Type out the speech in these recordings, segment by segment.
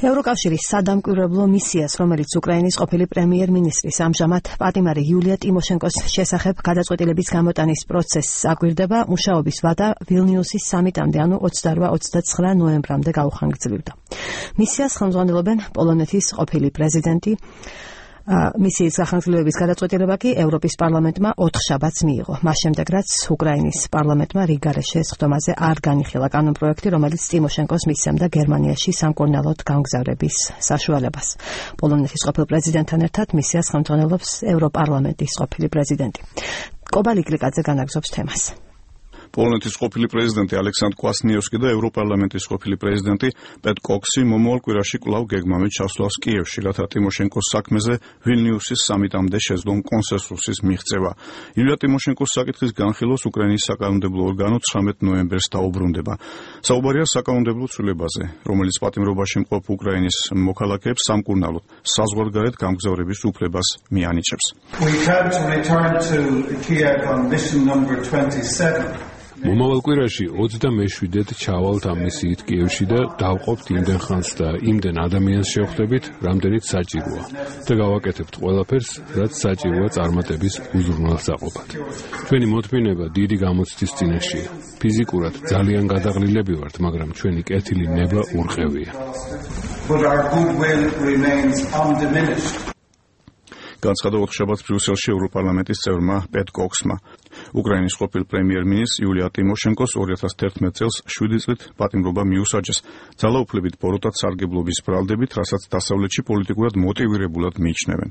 ევროკავშირის სადამკვირვებლო მისიას, რომელიც უკრაინის ყოფილი პრემიერ-მინისტრის ამჟამად პატიმარი იულია ტიმოშენკოს შესახებ გადაწყვეტილების გამოტანის პროცესს აკვირდება, მუშაობის ვადა ვილნიუსის სამიტამდე, ანუ 28-29 ნოემბრამდე გაუხანგრძლივდა. მისიას ხელმძღვანელობენ პოლონეთის ყოფილი პრეზიდენტი. მისიის გახანგრძლივების გადაწყვეტილება კი ევროპის პარლამენტმა 4 შაბათს მიიღო. მას შემდეგ, რაც უკრაინის პარლამენტმა რიგარეშე სხდომაზე არ განიხილა კანონპროექტი, რომელიც ტიმოშენკოს მისცემდა გერმანიაში სამკურნალოდ გამგზავრების საშუალებას. პოლონეთის ყოფილ პრეზიდენტთან ერთად მისიას ხელმძღვანელობს ევროპარლამენტის ყოფილი პრეზიდენტი. კობალიკ ლიკაძე განაგზობს თემას. პოლონეთის ყოფილი პრეზიდენტი ალექსანდრ კვასნიევსკი და ევროპარლამენტის ყოფილი პრეზიდენტი პეტ კოქსი მომავალ კვირაში კვლავ გეგმავენ ჩასვლას კიევში, რათა ტიმოშენკოს საქმეზე ვილნიუსის სამიტამდე შეძლონ კონსენსუსის მიღწევა. იულია ტიმოშენკოს საკითხის განხილვას უკრაინის საკანონმდებლო ორგანო 19 ნოემბერს დაუბრუნდება. საუბარია საკანონმდებლო ცვლილებაზე, რომელიც პატიმრობაში მყოფ უკრაინის მოქალაქეებს სამკურნალოდ საზღვარგარეთ გამგზავრების უფლებას მიანიჭებს. მომავალ კვირაში 27-ით ჩავალთ ამ მისიით კიევში და დავყოფთ იმდენ ხანს და იმდენ ადამიანს შევხვდებით, რამდენიც საჭიროა და გავაკეთებთ ყველაფერს, რაც საჭიროა წარმატების უზრუნველსაყოფად. ჩვენი მოთმინება დიდი გამოცდის წინაშეა. ფიზიკურად ძალიან გადაღლილები ვართ, მაგრამ ჩვენი კეთილი ნება ურყევია. განცხადა 4 შაბათს ბრიუსელში ევროპარლამენტის წევრმა პეტ კოქსმა. უკრაინის ყოფილ პრემიერ-მინისტრს იულია ტიმოშენკოს 2011 წელს 7 წლით პატიმრობა მიუსაჯეს ძალაუფლებით ბოროტად სარგებლობის ბრალდებით, რასაც დასავლეთში პოლიტიკურად მოტივირებულად მიიჩნევენ.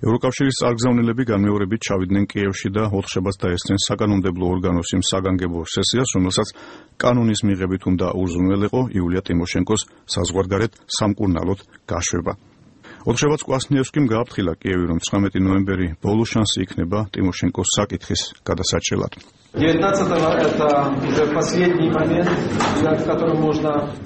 ევროკავშირის წარგზავნილები განმეორებით ჩავიდნენ კიევში და 4 შაბათს დაესწრნენ საკანონმდებლო ორგანოს იმ საგანგებო სესიას, რომელსაც კანონის მიღებით უნდა უზრუნველეყო იულია ტიმოშენკოს საზღვარგარეთ სამკურნალოდ გაშვება. 4 შაბათს კვასნიევსკიმ გააფრთხილა კიევი, რომ 19 ნოემბერი ბოლო შანსი იქნება ტიმოშენკოს საკითხის გადასაჭრელად.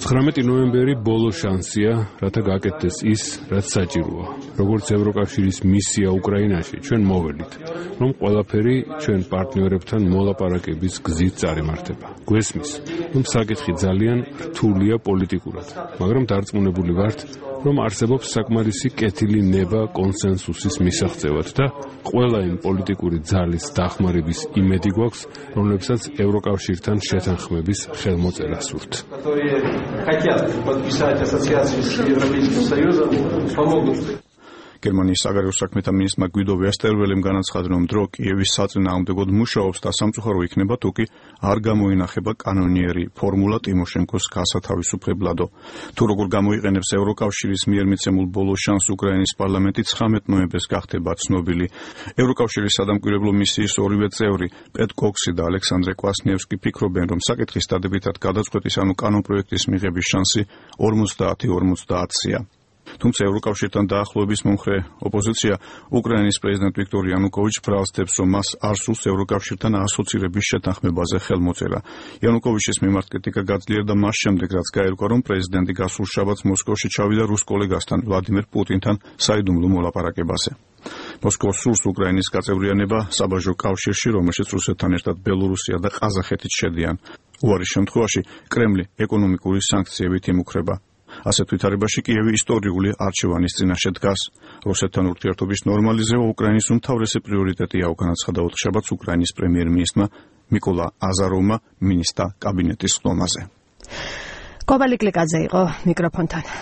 19 ნოემბერი ბოლო შანსია, რათა გაკეთდეს ის, რაც საჭიროა. როგორც ევროკავშირის მისია უკრაინაში, ჩვენ მოველით, რომ ყველაფერი ჩვენ პარტნიორებთან მოლაპარაკების გზით წარიმართება. გვესმის, რომ საკითხი ძალიან რთულია პოლიტიკურად, მაგრამ დარწმუნებული ვართ, რომ არსებობს საკმარისი კეთილი ნება კონსენსუსის მისაღწევად და ყველა იმ პოლიტიკური ძალის დახმარების იმედი გვაქვს, რომლებსაც ევროკავშირთან შეთანხმების ხელმოწერა სურთ. გერმანიის საგარეო საქმეთა მინისტრმა გვიდო ვესტერველემ განაცხადა, რომ დრო კიევის საწინააღმდეგოდ მუშაობს და სამწუხარო იქნება, თუ კი არ გამოინახება კანონიერი ფორმულა ტიმოშენკოს გასათავისუფლებლადო. თუ როგორ გამოიყენებს ევროკავშირის მიერ მიცემულ ბოლო შანსს უკრაინის პარლამენტი 19 ნოემბერს გახდება ცნობილი. ევროკავშირის სადამკვირვებლო მისიის ორივე წევრი პეტ კოქსი და ალექსანდრე კვასნიევსკი ფიქრობენ, რომ საკითხის დადებითად გადაწყვეტის, ანუ კანონპროექტის მიღების შანსი 50-50-ია. თუმცა ევროკავშირთან დაახლოების მომხრე ოპოზიცია უკრაინის პრეზიდენტ ვიქტორ იანუკოვიჩს ბრალსდებს, რომ მას არ სურს ევროკავშირთან ასოცირების შეთანხმებაზე ხელმოწერა. იანუკოვიჩის მიმართ კრიტიკა გაძლიერდა მას შემდეგ, რაც გაირკვა, რომ პრეზიდენტი გასულ შაბათს მოსკოვში ჩავიდა რუს კოლეგასთან ვლადიმერ პუტინთან საიდუმლო მოლაპარაკებაზე. მოსკოვს სურს უკრაინის გაწევრიანება საბაჟო კავშირში, რომელშიც რუსეთთან ერთად ბელორუსია და ყაზახეთიც შედიან. უარის შემთხვევაში კრემლი ეკონომიკური სანქციებით იმუქრება. ასეთ ვითარებაში კიევი ისტორიული არჩევანის წინაშე დგას. რუსეთთან ურთიერთობის ნორმალიზება უკრაინის უმთავრესი პრიორიტეტია, განაცხადა 4 შაბათს უკრაინის პრემიერ-მინისტრმა მიკოლა აზაროვმა მინისტრთა კაბინეტის სხდომაზე. კობალიკ ლიკაძე იყო მიკროფონთან.